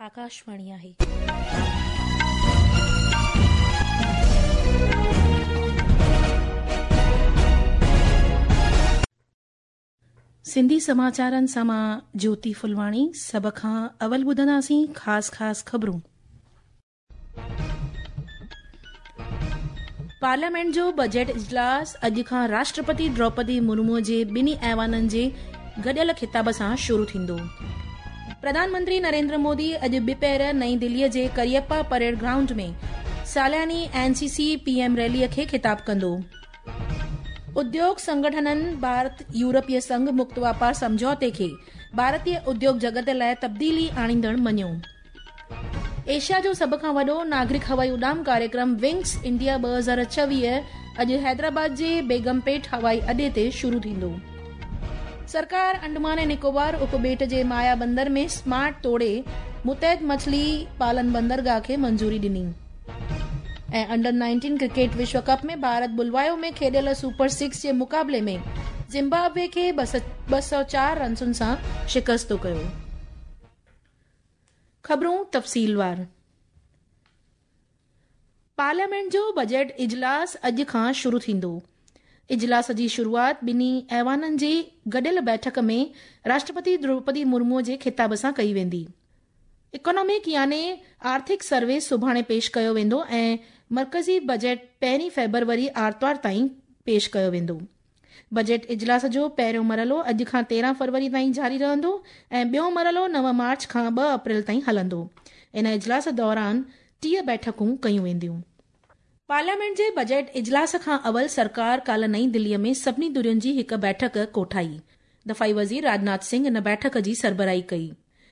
آڪاشواڻي آهي. سنڌي سماچارن سان مان جوتي ڦلواڻي سڀ کان اول ٻڌنداسين خاص خاص خبرون. پارليامينٽ جو بجيٽ اجلاس اڄ کان راشٽرپتي دروپدي مرمو جي ٻنهي ايوانن جي گڏيل خطاب سان شروع ٿيندو. پرڌان منتري نريندر مودي اڄ ٻپهر نئين دهلي جي ڪريپا پريڊ گرائونڊ ۾ سالياني N C C P M rally کي خطاب ڪندو. اديوگ سنگٺنن ڀارت يورپي سنگهه مڪت واپار سمجهوتي کي ڀارتي اديوگ جڳت لاءِ تبديلي آڻيندڙ مڃيو. ايشيا جو سڀ کان وڏو ناگرڪ هوائي اڏام ڪاريڪرم ونگز انڊيا 2026 اڄ حيدرآباد جي بيگم پيٽ هوائي اڏي تي شروع ٿيندو. سرڪار انڊمان ۽ نڪوبار اپٻيٽ جي مايا بندر ۾ سمارٽ توڙي متحد مڇلي پالن بندرگاهه کي منظوري ڏني. ۽ انڊر 19 ڪرڪيٽ وشو ڪپ ۾ ڀارت بلوايو ۾ کيڏيل سپر سڪس جي مقابلي ۾ زمبابوي کي 204 رنسن سان شڪست ڪيو. خبرون تفصيلوار. پارليامينٽ جو بجيٽ اجلاس اڄ کان شروع ٿيندو. اجلاس جي شروعات ٻنهي ايوانن جي گڏيل بيٺڪ ۾ راشٽرپتي دروپدي مرمو جي خطاب سان ڪئي ويندي. اڪانامڪ يعني آرٿڪ سروي سڀاڻي پيش ڪيو ويندو ۽ مرڪزي بجيٽ پهرين فيبروري آرتوار تائين پيش ڪيو ويندو. بجيٽ اجلاس جو پهريون مرحلو اڄ کان 13 فروري تائين جاري رهندو ۽ ٻيو مرحلو 9 مارچ کان 2 اپريل تائين هلندو. ان اجلاس دوران 30 بيٺڪون ڪيون وينديون. پارليامينٽ جي بجيٽ اجلاس کان اول سرڪار ڪالهه نئين دلي ۾ سڀني ڌرين جي هڪ بيٺڪ ڪوٺائي. دفاعي وزير راجناٿ سنگهه ان بيٺڪ جي سربراهي ڪئي.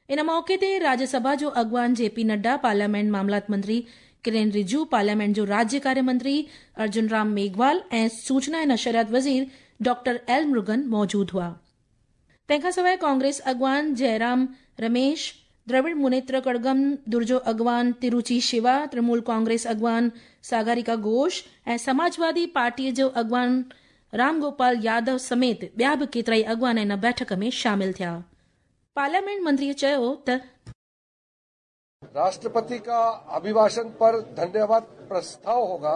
ان موقعي تي راجيه سڀا جو اڳواڻ جي پي نڊا، پارليامينٽ معاملات منتري ڪرين رجو، پارليامينٽ جو راجيه ڪاريه منتري ارجن رام ميگهوال ۽ سوچنا ۽ نشريات وزير ڊاڪٽر ايل مرگن موجود هئا. تنهن کان سواءِ ڪانگريس اڳواڻ جئرام رميش، دراوڙ منيتر ڪڙگم ڌر جو اڳواڻ تروچي شيوا، ترڻمول ڪانگريس اڳواڻ ساگاريڪا گهوش ۽ سماجوادي پارٽيء جو اڳواڻ رام گوپال يادو سميت ٻيا به ڪيترائي اڳواڻ ان بيٺڪ ۾ شامل ٿيا. پارليامينٽ منتري چيو ته. راشٽرپتي ڪا اڀيڀاشڻ پر ڌنيواد پرستاو هوگا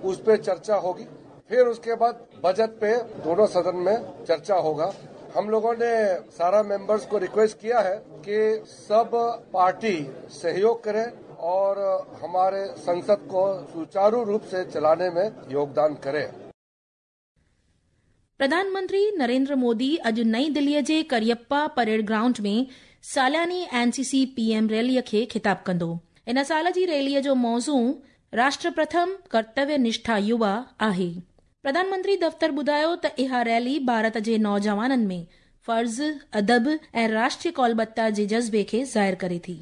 اس پي چرچا هوگي ڦر اس ڪي بعد بجٽ پي دونون سدن مين چرچا هوگا هم لوگون ني سارا ميمبرز ڪو ريڪويسٽ ڪيا هي ڪي سب پارٽي سهيوگ ڪرين اور هماري سنسد ڪو سوچارو روپ سي چلاني مين يوگدان ڪرين. پرڌان منتري نريندر مودي اڄ نئين دلي جي ڪريپا پريڊ گرائونڊ ۾ سالياني N C C P M rally کي خطاب ڪندو. ان سال جي ريلي جو موضوع راشٽر پرٿم، ڪرتويه نشٺا يووا آهي. پرڌان منتري دفتر ٻڌايو ته اها ريلي ڀارت جي نوجوانن ۾ فرض، ادب ۽ راشٽريه ڪولبتا جي جذبي کي ظاهر ڪري ٿي.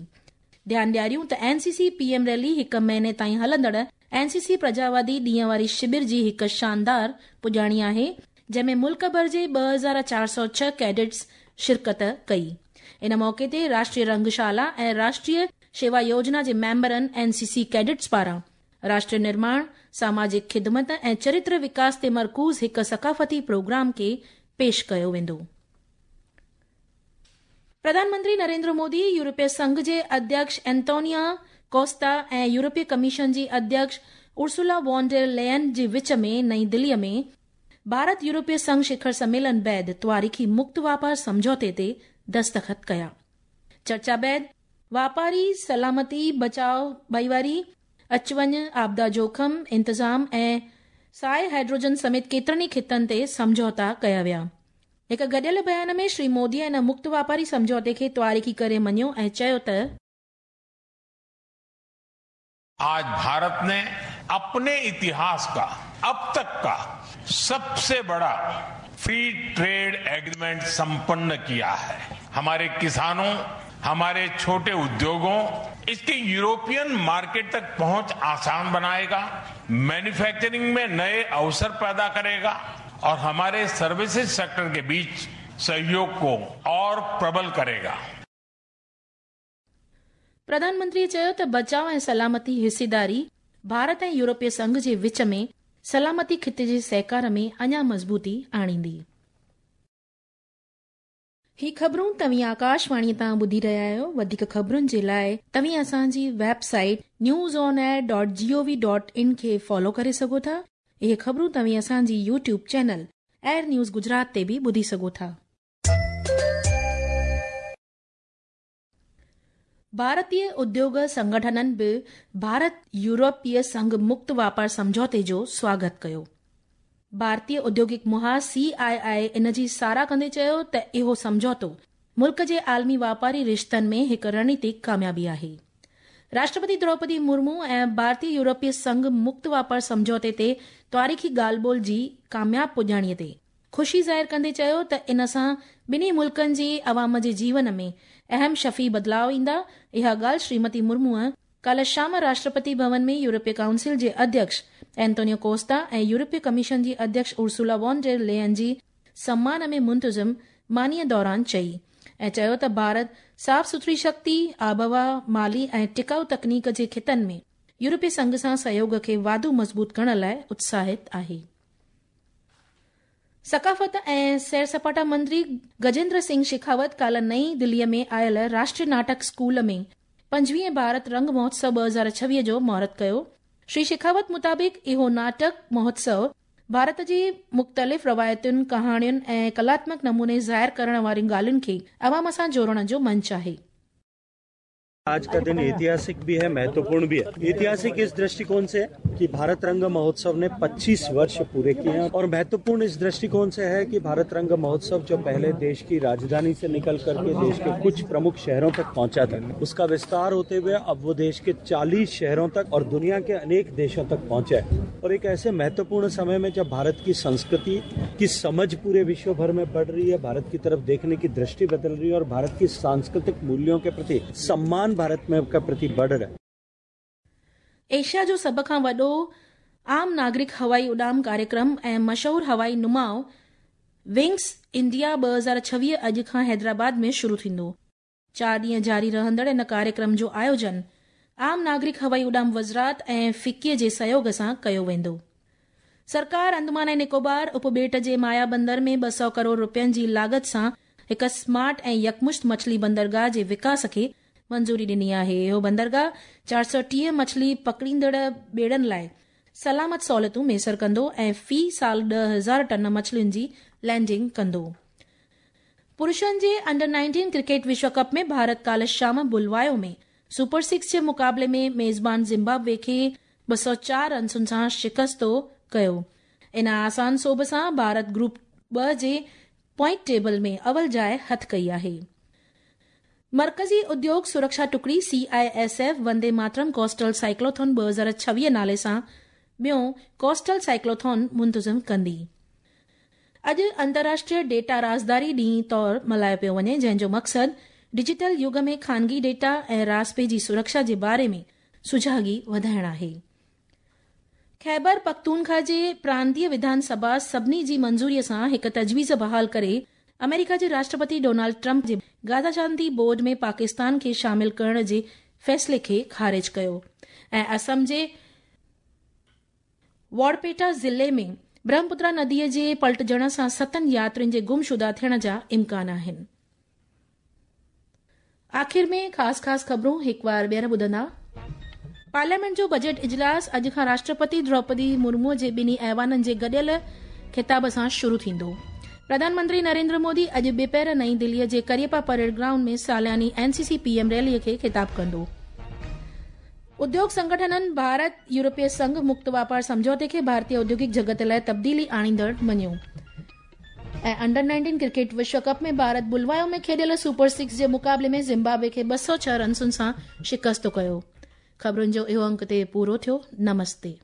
ڌيان ڏياريون ته N C C P M rally هڪ مهيني تائين هلندڙ اين سي سي پرجاوادي ڏينهن واري شبر جي هڪ شاندار پڄاڻي آهي، جنهن ۾ ملڪ ڀر جي 2406 ڪيڊٽس شرڪت ڪئي. ان موقعي تي راشٽريه رنگ شالا ۽ راشٽريه شيوا يوجنا جي ميمبرن اين سي سي ڪيڊٽس پاران راشٽر نرماڻ، ساماجڪ خدمت ۽ چرتر وڪاس تي مرڪوز هڪ ثقافتي پروگرام کي پيش ڪيو ويندو. پرڌان منتري نريندر مودي يورپي سنگهه جي اڌيڪش اينتونيا ڪوستا ۽ يورپي ڪميشن جي اڌيڪش ارسولا وون ڊير ليئن جي وچ ۾ نئين دلي ۾ ڀارت يورپي سنگهه شکر سميلن بعد تواريخي مڪت واپار سمجهوتي تي دستخط ڪيا. چرچا بعد واپاري، سلامتي، بچاء، ڀائيواري، اچ وڃ، آپدا جوکم، انتظام ۽ سائي هائيڊروجن سميت ڪيترن ئي خطن تي سمجهوتا ڪيا ويا. هڪ گڏيل بيان ۾ شري مودي ان مڪت واپاري سمجهوتي کي تواريخي ڪري مڃيو ۽ چيو ته. آج ڀارت ني اپني اتهاس ڪا اب تڪ ڪا سب سي بڙا فري ٽريڊ ايگريمينٽ سمپن ڪيا هي. هماري ڪسانون، هماري ڇوٽي اديوگون اسڪي يورپين مارڪيٽ تڪ پهنچ آسان بنائيگا، مينوفيڪچرنگ مين نئي اوسر پيدا ڪريگا. اور هماري سروسز سيڪٽر ڪي بيچ سهيوگ ڪو اور پربل ڪريگا. پرڌان منتري چيو ته بچاء ۽ سلامتي حصيداري ڀارت ۽ يورپي سنگهه جي وچ ۾ سلامتي خطي جي سهڪار ۾ اڃا مضبوطي آڻيندي. هي خبرون توهين آڪاشواڻي تان ٻڌي رهيا آهيو. وڌيڪ خبرن جي لاء توهين اسان جي website news on air dot G O V dot in کي فالو ڪري سگهو ٿا. اهي خبرون توهين اسان جي YouTube channel AIR news Gujarat تي به ٻڌي سگهو ٿا. ڀارتي اديوگ سنگٺنن به ڀارت يورپي سنگهه مڪت واپار سمجهوتي جو سواگت ڪيو. ڀارتي اديوگڪ محاذ سي آء آء ان جي ساراهه ڪندي چيو ته اهو سمجهوتو ملڪ جي عالمي واپاري رشتن ۾ هڪ رڻنيتڪ ڪاميابي آهي. راشٽرپتي دروپدي مرمو ۽ ڀارتي يورپي سنگهه مڪت واپار سمجهوتي تي تاريخي ڳالهه ٻولهه جي ڪامياب پڄاڻي تي خوشي ظاهر ڪندي چيو ته ان سان ٻنهي ملڪن جي عوام جي جيون ۾ اهم شفي بدلاء ايندا. اها ڳالهه شريمتي مرموء ڪالهه شام راشٽرپتي ڀون ۾ يورپي ڪائونسل جي اڌيڪش اينتونيو ڪوستا ۽ يورپي ڪميشن جي اڌيڪش ارسولا وون ڊير ليئن جي سمان ۾ منتظم مانيء دوران چئي ۽ چيو ته ڀارت صاف سٿري شڪتي، آبهوا، مالي ۽ ٽڪائو تڪنيڪ جي خطن ۾ يورپي سنگهه سان سهيوڳ کي واڌو مضبوط ڪرڻ لاء اتساهت آهي. ثقافت ۽ سير سپاٽا منتري گجيندر سنگهه شيخاوت ڪالهه نئين دليء ۾ آيل راشٽريه ناٽڪ اسڪول ۾ 25 ڀارت رنگ مهوتسو 2026 جو مهورت ڪيو. شري شيخاوت مطابق اهو ناٽڪ مهوتسو ڀارت جي مختلف روايتن، ڪهاڻين ۽ ڪلاتمڪ نموني ظاهر ڪرڻ وارين ڳالهين کي عوام سان جوڙڻ جو منچ آهي. आज का दिन ऐतिहासिक भी है, महत्वपूर्ण भी है। ऐतिहासिक इस दृष्टिकोण से कि भारत रंग महोत्सव ने 25 वर्ष पूरे किए हैं और महत्वपूर्ण इस दृष्टिकोण से है कि भारत रंग महोत्सव जो पहले देश की राजधानी से निकल करके देश के कुछ प्रमुख शहरों तक पहुंचा था, उसका विस्तार होते हुए अब वो देश के 40 शहरों तक और दुनिया के अनेक देशों तक पहुंचा है। और एक ऐसे महत्वपूर्ण समय में जब भारत की संस्कृति की समझ पूरे विश्व भर में बढ़ रही है, भारत की तरफ देखने की दृष्टि बदल रही है और भारत की सांस्कृतिक मूल्यों के प्रति सम्मान भारत में का प्रति बढ़ रहा है। एशिया जो सभ खां वॾो आम नागरिक हवाई उॾाम कार्यक्रम ऐं मशहूर हवाई नुमाउ विंग्स इंडिया 2026 अॼु खां हैदराबाद में शुरू थींदो। 4 ॾींहं जारी रहंदड़ इन कार्यक्रम जो आयोजन आम नागरिक हवाई उॾाम वज़ारत ऐं फिक्कीअ जे सहयोग सां कयो वेंदो। सरकार अंडमान ऐं निकोबार उपॿेट जे माया बंदर में 200 करोड़ रुपयनि जी लागत सां हिकु स्मार्ट ऐं यकमुश्त मछली बंदरगाह जे विकास खे मंज़ूरी ॾिनी आहे। इहो बंदरगाह 430 मछली पकड़ींदड़ ॿेड़नि लाइ सलामत सहूलियतूं मयसर कंदो ऐं फ़ी साल 10,000 टन मछलियुनि जी लैंडिंग कंदो। पुरुषनि जे अंडर 19 क्रिकेट विश्व कप में भारत काल्ह शाम बुलवायो में सुपर 6 जे मुक़ाबले में मेज़बान ज़िम्बाब्वे खे 204 रनसुनि सां शिकस्तो कयो। इन आसान सोभ सां भारत ग्रुप 2 जे पॉइंट टेबल में अवल जाइ हथ कई आहे। मर्कज़ी उद्योग सुरक्षा टुकड़ी CISF Vande Mataram coastal cyclothon 2026 नाले सां ॿियो कोस्टल साइक्लोथॉन मुंतज़िम कंदी। अॼु अंतर्राष्ट्रीय डेटा राज़दारी ॾींहुं तौर मल्हायो पियो वञे, जंहिंजो मक़सदु डिजिटल युग में ख़ानगी डेटा ऐं रास्पे जी सुरक्षा जे बारे में सुझागी वधाइण आहे। ख़ैबर पख्तूनख्वा जे प्रांतीय विधानसभा सभिनी जी मंज़ूरीअ सां हिकु तजवीज़ बहाल करे अमेरिका जे राष्ट्रपति डोनाल्ड ट्रंप जे गाज़ा शांति बोर्ड में पाकिस्तान खे शामिल करण जे फ़ैसिले खे ख़ारिज कयो ऐं असम जे वाड़पेटा ज़िले में ब्रह्मपुत्रा नदीअ जे पलटजण सां 7 यात्रियुनि जे गुमशुदा थियण जा इम्कान आहिनि। आख़िर में ख़ासि ख़ासि ख़बरूं हिकु वार ॿीहर ॿुधंदा। पार्लियामेंट जो बजट इजलास अॼु खां राष्ट्रपति द्रौपदी मुर्मू जे ॿिन्ही ऐवाननि जे गॾियल ख़िताब सां शुरू थींदो। प्रधानमंत्री नरेंद्र मोदी अॼु ॿिपहर नई दिल्लीअ जे करियपा परेड ग्राउंड में सालानी एनसीसी पीएम रैलीअ खे ख़िताब कंदो। उद्योग संगठननि भारत यूरोपीय संघ मुक्त वापार सम्झौते खे भारतीय औद्योगिक जगत लाइ तब्दीली आणींदड़ मञियो। ऐं अंडर 19 क्रिकेट विश्व कप में भारत बुलवायो में खेॾियल सुपर 6 जे मुक़ाबले में ज़िम्बाब्वे खे 206 रनसुनि सां शिकस्तो कयो। ख़बरुनि जो इहो अंक ते पूरो थियो। नमस्ते।